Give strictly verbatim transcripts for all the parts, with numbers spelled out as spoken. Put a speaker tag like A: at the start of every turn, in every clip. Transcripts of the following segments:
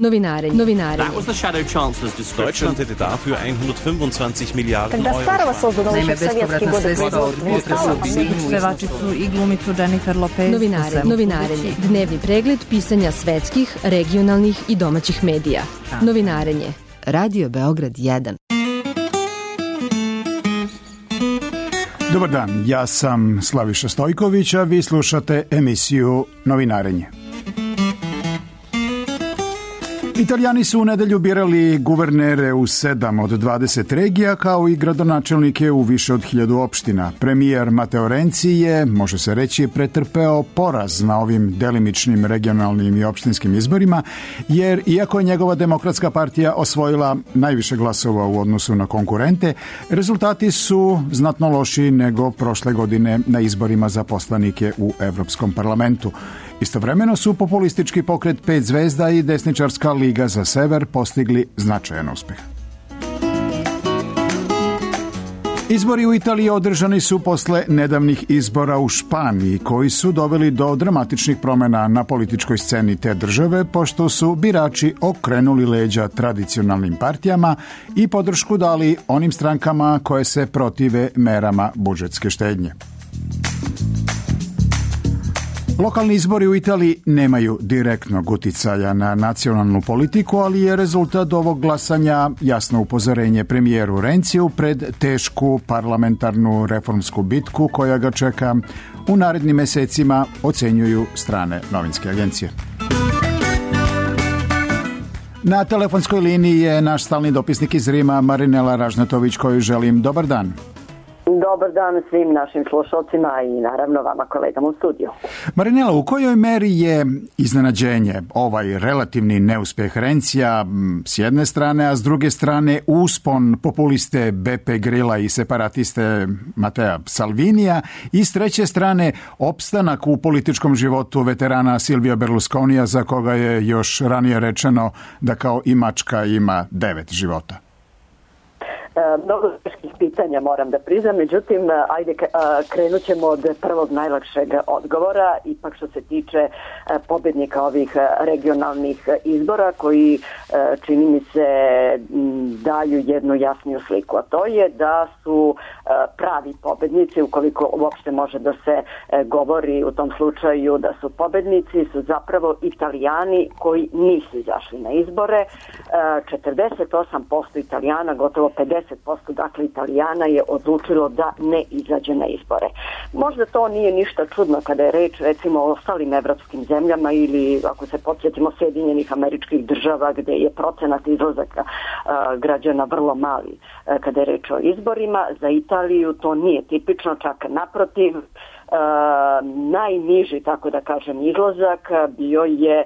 A: Novinarenje. Novinarenje.
B: That was the shadow chancellor's description.
C: Deutschland hätte dafür hundertfünfundzwanzig Milliarden
D: Когда
C: Euro.
D: Старого создано еще в советские годы
E: Pevačicu i glumicu Jennifer Lopez.
A: Novinare, novinarenje. Dnevni pregled pisanja svetskih, regionalnih i domaćih medija. Novinarenje. Radio Beograd jedan.
F: Dobar dan, ja sam Slaviša Stojković, a vi slušate emisiju Novinarenje. Italijani su u nedelju birali guvernere u sedam od dvadeset regija, kao i gradonačelnike u više od hiljadu opština. Premijer Matteo Renzi je, može se reći, pretrpeo poraz na ovim delimičnim regionalnim i opštinskim izborima, jer iako je njegova demokratska partija osvojila najviše glasova u odnosu na konkurente, rezultati su znatno lošiji nego prošle godine na izborima za poslanike u Evropskom parlamentu. Istovremeno su populistički pokret Pet zvezda i desničarska Liga za sever postigli značajan uspeh. Izbori u Italiji održani su posle nedavnih izbora u Španiji, koji su doveli do dramatičnih promjena na političkoj sceni te države, pošto su birači okrenuli leđa tradicionalnim partijama i podršku dali onim strankama koje se protive merama budžetske štednje. Lokalni izbori u Italiji nemaju direktnog uticaja na nacionalnu politiku, ali je rezultat ovog glasanja jasno upozorenje premijeru Renziju pred tešku parlamentarnu reformsku bitku koja ga čeka u narednim mesecima, ocenjuju strane novinske agencije. Na telefonskoj liniji je naš stalni dopisnik iz Rima, Marinela Ražnatović, koju želim dobar dan.
G: Dobar dan svim našim slušalcima i naravno vama kolegama u studiju.
F: Marinela, u kojoj meri je iznenađenje ovaj relativni neuspeh Renzija s jedne strane, a s druge strane uspon populiste Beppe Grilla i separatiste Matea Salvinija i s treće strane opstanak u političkom životu veterana Silvija Berlusconija, za koga je još ranije rečeno da kao i mačka ima devet života?
G: Mnogo teških pitanja moram da priznam, međutim, ajde krenut ćemo od prvog najlakšeg odgovora, ipak što se tiče pobednika ovih regionalnih izbora koji čini mi se daju jednu jasniju sliku, a to je da su pravi pobednici, ukoliko uopšte može da se govori u tom slučaju da su pobednici, su zapravo Italijani koji nisu izašli na izbore. četrdeset osam posto Italijana, gotovo pedeset posto dakle Italijana je odlučilo da ne izađe na izbore. Možda to nije ništa čudno kada je reč recimo o ostalim evropskim zemljama ili ako se podsjetimo Sjedinjenih Američkih Država gdje je procenat izlazaka a, građana vrlo mali a, kada je reč o izborima. Za Italiju to nije tipično, čak naprotiv. Uh, najniži, tako da kažem, izlazak bio je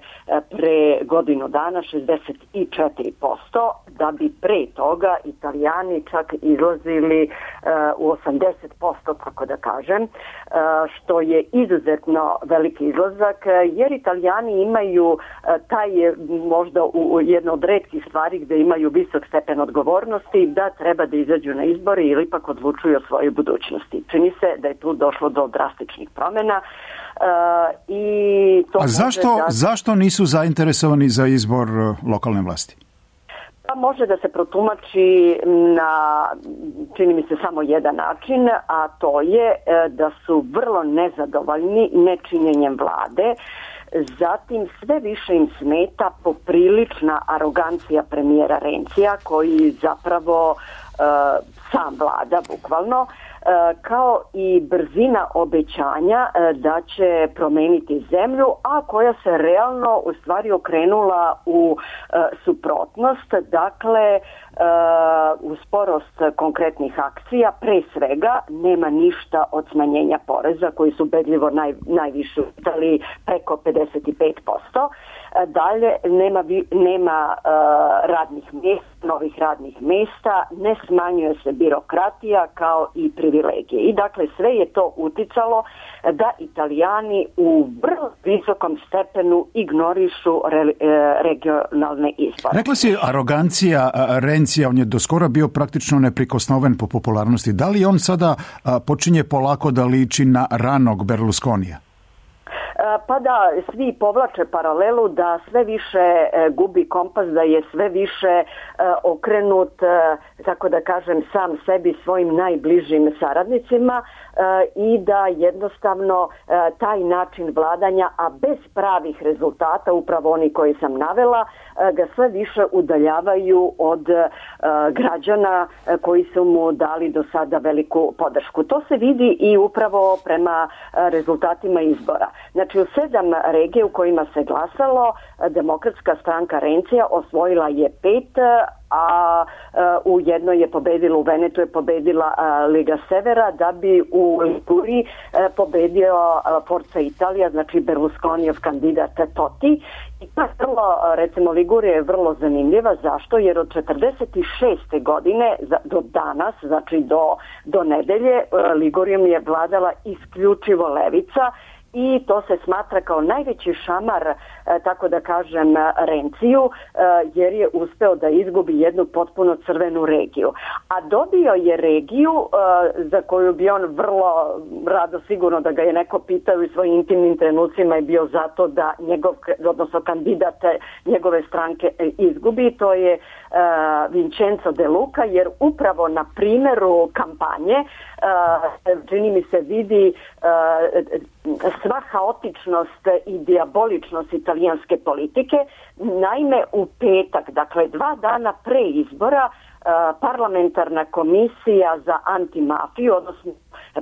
G: pre godinu dana šezdeset četiri posto, da bi pre toga Italijani čak izlazili uh, u osamdeset posto, tako da kažem, uh, što je izuzetno veliki izlazak, jer Italijani imaju uh, taj možda u, u jedno od retkih stvari gdje imaju visok stepen odgovornosti da treba da izađu na izbore ili ipak odlučuju o svojoj budućnosti. Čini se da je tu došlo do drastičnih promjena. Uh, i to
F: A zašto, da... zašto nisu zainteresovani za izbor lokalne vlasti?
G: Pa može da se protumači na, čini mi se, samo jedan način, a to je da su vrlo nezadovoljni nečinjenjem vlade. Zatim sve više im smeta poprilična arogancija premijera Renzija koji zapravo uh, sam vlada bukvalno, kao i brzina obećanja da će promeniti zemlju, a koja se realno u stvari okrenula u suprotnost, dakle u sporost konkretnih akcija. Pre svega nema ništa od smanjenja poreza koji su ubedljivo naj, najviše u Italiji, preko pedeset pet posto. Dalje nema, nema uh, radnih mjesta, novih radnih mjesta, ne smanjuje se birokratija kao i privilegije. I dakle sve je to uticalo da Italijani u vrlo visokom stepenu ignorišu re, regionalne izbore.
F: Rekla si arogancija Renzija, on je do skora bio praktično neprikosnoven po popularnosti. Da li on sada počinje polako da liči na ranog Berlusconija?
G: pa da svi povlače paralelu da sve više gubi kompas, da je sve više okrenut, tako da kažem, sam sebi, svojim najbližim saradnicima i da jednostavno taj način vladanja, a bez pravih rezultata, upravo oni koji sam navela, ga sve više udaljavaju od građana koji su mu dali do sada veliku podršku. To se vidi i upravo prema rezultatima izbora. Znači u sedam regija u kojima se glasalo, Demokratska stranka Rencija osvojila je pet, a u jednoj je pobedila, u Venetu je pobedila Liga Severa, da bi u Liguriji pobedio Forza Italija, znači Berlusconijev kandidat Totti. I pa vrlo, recimo, Ligurija je vrlo zanimljiva. Zašto? Jer od četrdeset šeste godine do danas, znači do, do nedelje, Ligurijom je vladala isključivo levica, i to se smatra kao najveći šamar, tako da kažem, Renciju, jer je uspeo da izgubi jednu potpuno crvenu regiju. A dobio je regiju za koju bi on vrlo rado, sigurno da ga je neko pitao i svojim intimnim trenucima, je bio zato da njegov, odnosno kandidat njegove stranke izgubi. To je Vincenzo De Luca, jer upravo na primjeru kampanje čini mi se vidi sva haotičnost i dijaboličnost italijanske politike. Naime, u petak, dakle dva dana pre izbora, parlamentarna komisija za antimafiju, odnosno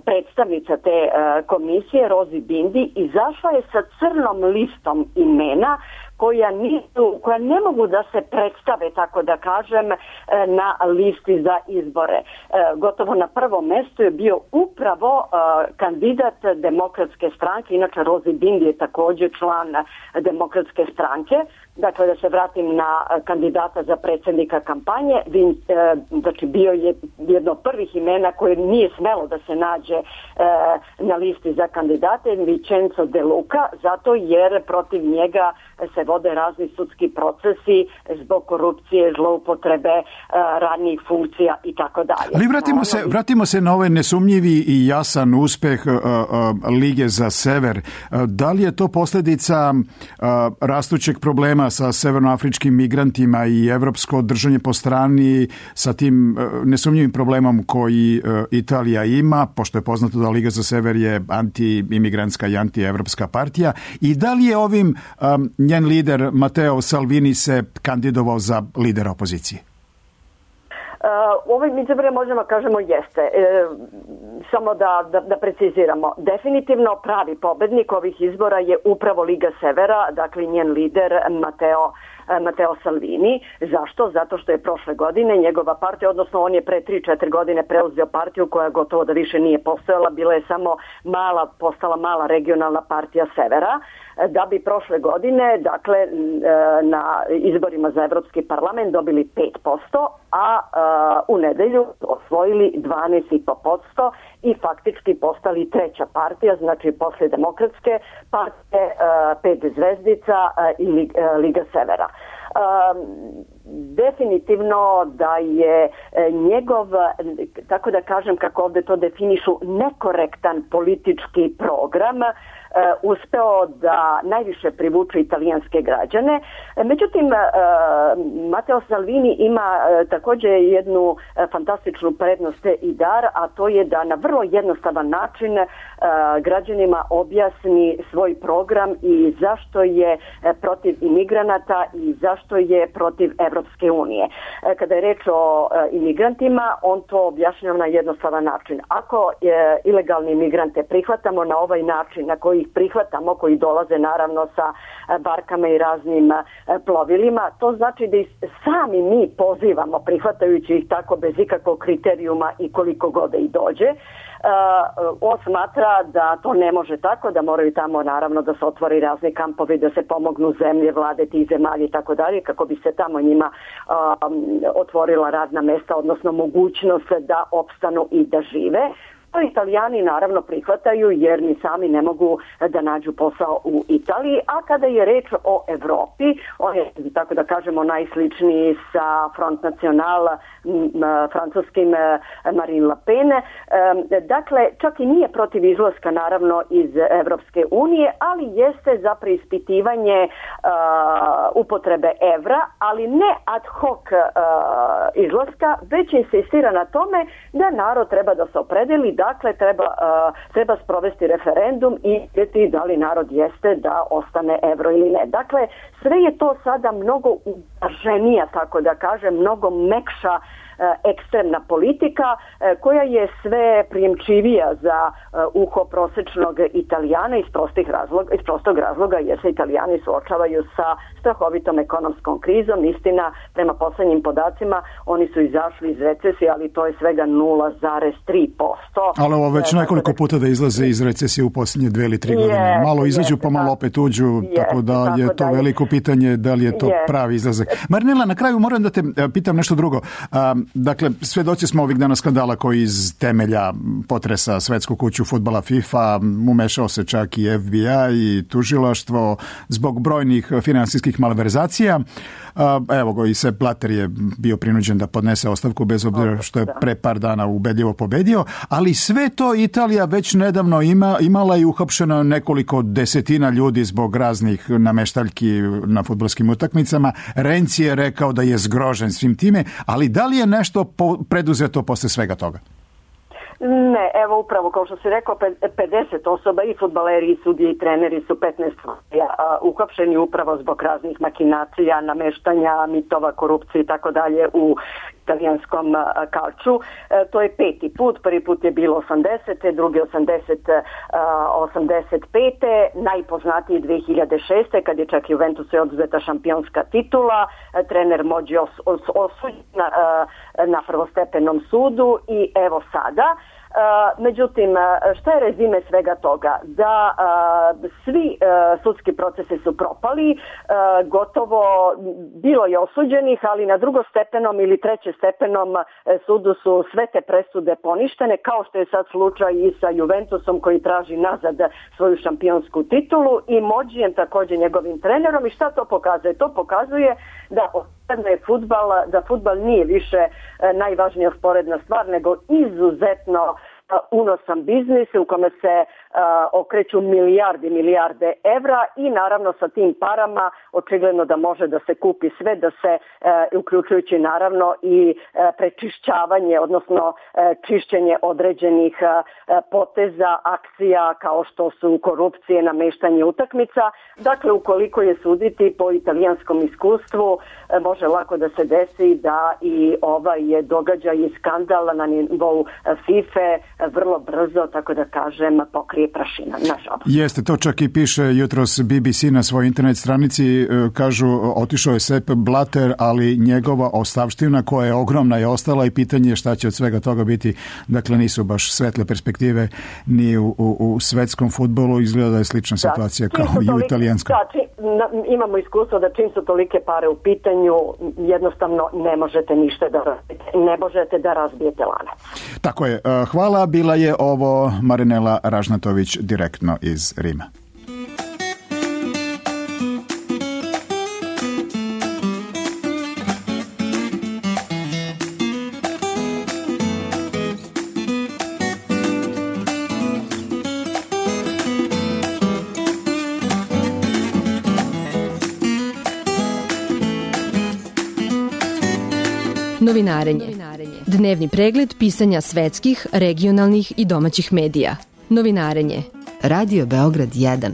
G: predstavnica te komisije, Rosi Bindi, izašla je sa crnom listom imena koja nisu, koja ne mogu da se predstave, tako da kažem, na listi za izbore. Gotovo na prvom mjestu je bio upravo kandidat Demokratske stranke, inače Rosi Bindi je također član Demokratske stranke. Dakle, da se vratim na kandidata za predsjednika kampanje, znači bio je jedno od prvih imena koje nije smelo da se nađe na listi za kandidate, Vincenzo De Luca, zato jer protiv njega se vode razni sudski procesi zbog korupcije, zloupotrebe radnih funkcija i tako dalje.
F: Ali vratimo se, vratimo se na ovaj nesumnjivi i jasan uspeh uh, uh, Lige za sever. Uh, da li je to posljedica uh, rastućeg problema sa severnoafričkim migrantima i evropsko držanje po strani sa tim uh, nesumnjivim problemom koji uh, Italija ima, pošto je poznato da Liga za sever je anti-imigrantska i anti-evropska partija, i da li je ovim um, njen lider Matteo Salvini se kandidovao za lidera opozicije?
G: Uh, ovaj izbor možemo kažemo jeste. E, samo da, da, da preciziramo. Definitivno pravi pobednik ovih izbora je upravo Liga Severa, dakle njen lider Matteo Matteo Salvini. Zašto? Zato što je prošle godine njegova partija, odnosno on je pre tri četiri godine preuzeo partiju koja gotovo da više nije postojala, bila je samo mala, postala mala regionalna partija Severa, da bi prošle godine, dakle, na izborima za Evropski parlament dobili pet posto, a u nedelju osvojili dvanaest zarez pet posto i faktički postali treća partija, znači posle Demokratske partije, pet zvezdica i Liga Severa. Definitivno da je njegov, tako da kažem, kako ovdje to definišu, nekorektan politički program uspeo da najviše privuče italijanske građane. Međutim, Matteo Salvini ima također jednu fantastičnu prednost i dar, a to je da na vrlo jednostavan način građanima objasni svoj program i zašto je protiv imigranata i zašto je protiv Evropske unije. Kada je reč o imigrantima, on to objašnjava na jednostavan način. Ako ilegalne imigrante prihvatamo na ovaj način na koji ih prihvatamo, koji dolaze naravno sa barkama i raznim plovilima, to znači da ih sami mi pozivamo, prihvatajući ih tako bez ikakvog kriterijuma i koliko god i dođe. Uh, on smatra da to ne može tako, da moraju tamo naravno da se otvori razni kampovi, da se pomognu zemlje, vlade tih zemalja i tako dalje, kako bi se tamo njima um, otvorila radna mesta, odnosno mogućnost da opstanu i da žive. To Italijani naravno prihvataju jer ni sami ne mogu da nađu posao u Italiji, a kada je reč o Evropi, on je, tako da kažemo, najsličniji sa Front National, francuskim Marine Le Pen. Dakle, čak i nije protiv izlaska naravno iz Evropske unije, ali jeste za preispitivanje upotrebe evra, ali ne ad hoc izlaska, već insistira na tome da narod treba da se opredeli, dakle treba, treba sprovesti referendum i vidjeti da li narod jeste da ostane evro ili ne. Dakle, sve je to sada mnogo uvaženija, tako da kažem, mnogo mekša ekstremna politika koja je sve prijemčivija za uho prosečnog Italijana iz prostih razloga, iz prostog razloga jer se Italijani suočavaju sa strahovitom ekonomskom krizom. Istina, prema poslednjim podacima oni su izašli iz recesije, ali to je svega nula zarez tri posto.
F: Ali ovo već nekoliko puta da izlaze iz recesije u posljednje dve ili tri godine. Malo izađu pa malo opet uđu, tako da je to veliko pitanje da li je to pravi izlazak. Marinela, na kraju moram da te pitam nešto drugo. Dakle, svedoci smo ovih dana skandala koji iz temelja potresa svetsku kuću fudbala FIFA, umešao se čak i F B I i tužilaštvo zbog brojnih finansijskih malverzacija. Evo go, i Sepp Blatter je bio prinuđen da podnese ostavku bez obzira što je pre par dana ubedljivo pobedio, ali sve to Italija već nedavno ima, imala i uhapšeno nekoliko desetina ljudi zbog raznih nameštaljki na fudbalskim utakmicama. Renzi je rekao da je zgrožen svim time, ali da li je nešto po, preduzeto posle svega toga?
G: Ne, evo upravo kao što si rekao, pedeset osoba, i fudbaleri, i sudije, i treneri su petnaest uhapšeni upravo zbog raznih makinacija, nameštanja, mitova, korupcije i tako dalje u italijanskom kalču. E, to je peti put, prvi put je bilo osamdesete, drugi osamdeset, osamdeset pete, najpoznatiji dve hiljade šeste kad je čak Juventusu oduzeta šampionska titula, e, trener Mođi os, os, osuđen na, na prvostepenom sudu i evo sada. Uh, međutim, šta je rezime svega toga? Da uh, svi uh, sudski procesi su propali, uh, gotovo bilo je osuđenih, ali na drugostepenom ili trećestepenom uh, sudu su sve te presude poništene, kao što je sad slučaj i sa Juventusom koji traži nazad svoju šampionsku titulu i Mođijem, također njegovim trenerom. I šta to pokazuje? To pokazuje da je fudbal, da fudbal nije više e, najvažnija sporedna stvar, nego izuzetno unosan biznis u kome se uh, okreću milijardi, milijarde evra i naravno sa tim parama očigledno da može da se kupi sve, da se uh, uključujući naravno i uh, prečišćavanje, odnosno uh, čišćenje određenih uh, poteza, akcija kao što su korupcije, nameštanje utakmica. Dakle, ukoliko je suditi po italijanskom iskustvu, uh, može lako da se desi da i ovaj je događaj i skandal na nivou uh, FIFA vrlo brzo, tako da kažem, pokrije prašina, nažalost.
F: Jeste, to čak i piše jutros B B C na svojoj internet stranici, kažu, otišao je Sepp Blatter, ali njegova ostavština koja je ogromna je ostala i pitanje je šta će od svega toga biti. Dakle, nisu baš svetle perspektive ni u, u, u svetskom fudbalu, izgleda da je slična situacija da, kao i u italijanskom.
G: Da, či, na, imamo iskustvo da čim su tolike pare u pitanju, jednostavno ne možete ništa da razbijete, ne možete da razbijete lanac.
F: Tako je. Hvala. Bila je ovo Marinela Ražnatović direktno iz Rima.
A: Novinarenje. Dnevni pregled pisanja svetskih, regionalnih i domaćih medija. Novinarenje. Radio Beograd jedan.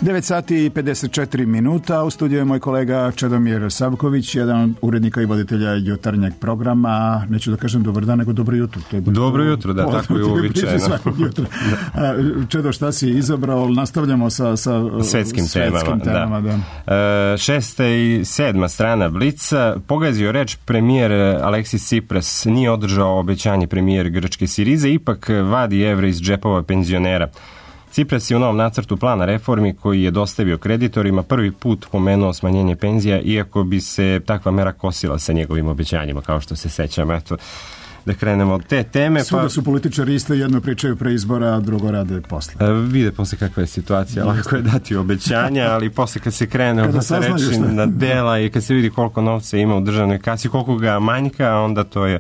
F: devet sati i pedeset četiri minuta. U studiju je moj kolega Čedomir Savković, jedan od urednika i voditelja jutarnjeg programa. Neću da kažem dobar dan, nego dobro jutro. To je
B: dobro jutro, da, tako je uobičajeno.
F: Čedo, šta si izabrao? Nastavljamo sa, sa
B: svetskim, svetskim temama. temama da. Da. Šesta i sedma strana Blica. Pogazio reč premijer Aleksis Tsipras, nije održao obećanje premijer grčke Sirize, ipak vadi evre iz džepova penzionera. Tsipras je u novom nacrtu plana reformi koji je dostavio kreditorima prvi put pomenuo smanjenje penzija, iako bi se takva mera kosila sa njegovim obećanjima, kao što se sećam. Eto, da krenemo od te teme.
F: Svuda pa... su političari isto, jedno pričaju pre izbora, a drugo rade posle.
B: E, vide posle kakva je situacija, lako je dati obećanja, ali posle kad se krene od se reči na dela i kad se vidi koliko novca ima u državnoj kasi, koliko ga manjka, onda to je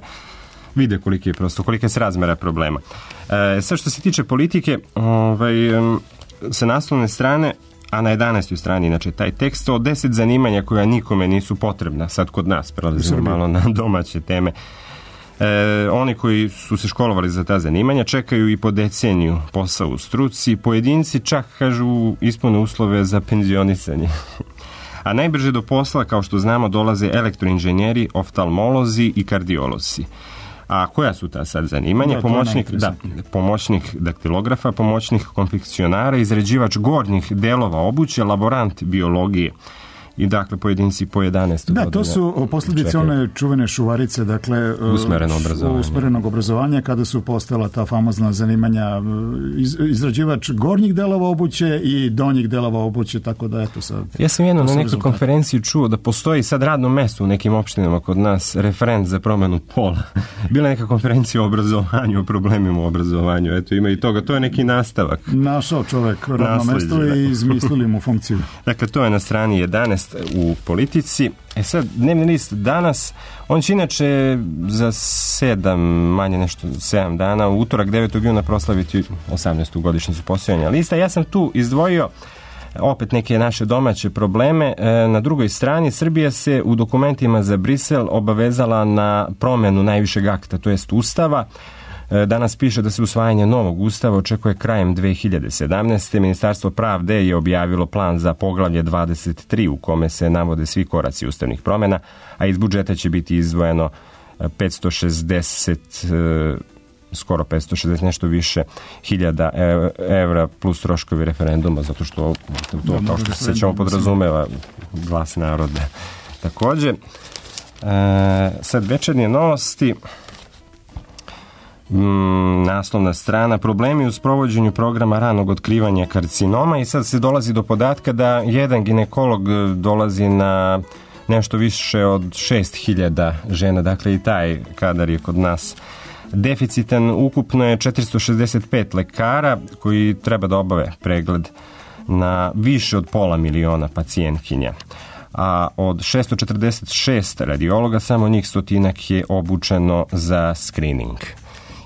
B: vide koliki je prosto, kolika je srazmera problema. E, sad što se tiče politike, ovaj, sa naslovne strane, a na jedanaestoj strani, inače, taj tekst o deset zanimanja koja nikome nisu potrebna, sad kod nas, prelazimo malo na domaće teme. E, oni koji su se školovali za ta zanimanja čekaju i po deceniju posao u struci, pojedinci čak, kažu, ispune uslove za penzionisanje. A najbrže do posla, kao što znamo, dolaze elektroinženjeri, oftalmolozi i kardiolozi. A koja su ta sad zanimanja? Da, pomoćnik, da, pomoćnik daktilografa, pomoćnik konfekcionara, izrađivač gornjih delova obuće, laborant biologije. I dakle pojedinci po jedanaest
F: Da,
B: godina.
F: to su posljedice one čuvene šuvarice, dakle
B: usmereno obrazovanje.
F: usmerenog obrazovanja, kada su postala ta famozna zanimanja iz, izrađivač gornjih delova obuće i donjih delova obuće, tako da eto sad.
B: Ja sam jedno na nekoj konferenciji čuo da postoji sad radno mesto u nekim opštinama kod nas, referent za promenu pola. Bila neka konferencija o obrazovanju, o problemima u obrazovanju, eto ima i toga, to je neki nastavak.
F: Našao čovek radno mesto i izmislili mu funkciju.
B: Dakle, to je na strani jedanaest u politici. E sad, dnevni list danas, on će inače za sedam, manje nešto, sedam dana, u utorak devetog juna proslaviti osamnaestu godišnjicu postojanja lista. Ja sam tu izdvojio opet neke naše domaće probleme. E, na drugoj strani, Srbija se u dokumentima za Brisel obavezala na promenu najvišeg akta, to jest Ustava. Danas piše da se usvajanje novog ustava očekuje krajem dve hiljade sedamnaeste. Ministarstvo pravde je objavilo plan za poglavlje dvadeset tri u kome se navode svi koraci ustavnih promjena, a iz budžeta će biti izdvojeno petsto šezdeset, skoro petsto šezdeset, nešto više hiljada evra plus troškovi referenduma, zato što to, kao što se sećamo, podrazumeva glas naroda. Također, sad večernje novosti. Mm, naslovna strana, problemi u sprovođenju programa ranog otkrivanja karcinoma, i sad se dolazi do podatka da jedan ginekolog dolazi na nešto više od šest hiljada žena, dakle i taj kadar je kod nas deficitan. Ukupno je četiristo šezdeset pet lekara koji treba da obave pregled na više od pola miliona pacijentkinja, a od šesto četrdeset šest radiologa samo njih stotinak je obučeno za screening.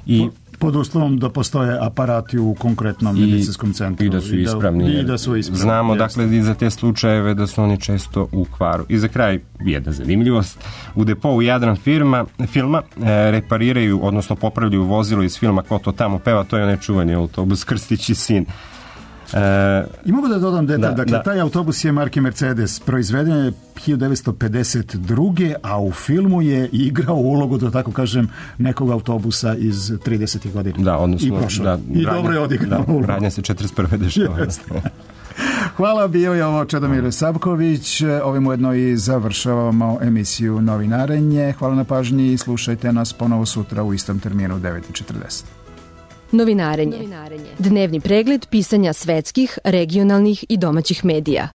B: I
F: pod uslovom da postoje aparati u konkretnom medicinskom centru.
B: I da su ispravni.
F: I da, i da su ispravni.
B: Znamo, jeste, dakle, i za te slučajeve da su oni često u kvaru. I za kraj, jedna zanimljivost. U depou Jadran firma, filma e, repariraju, odnosno popravljaju vozilo iz filma Ko to tamo peva, to je onaj čuvani autobus Krstić i sin.
F: E, I mogu da dodam detalj, da, dakle, da. Taj autobus je marke Mercedes, proizveden je hiljadu devetsto pedeset druge a u filmu je igrao ulogu, da tako kažem, nekog autobusa iz tridesetih godina.
B: Da, odnosno,
F: I prošao.
B: Da,
F: I dobro je odigrao
B: da,
F: ulogu.
B: Radnja se četrdeset prve dešava.
F: Hvala, bio je ovo Čedomir Savković. Ovim ujedno i završavamo emisiju Novinarenje. Hvala na pažnji i slušajte nas ponovo sutra u istom terminu u devet i četrdeset.
A: Novinarenje. Dnevni pregled pisanja svetskih, regionalnih i domaćih medija.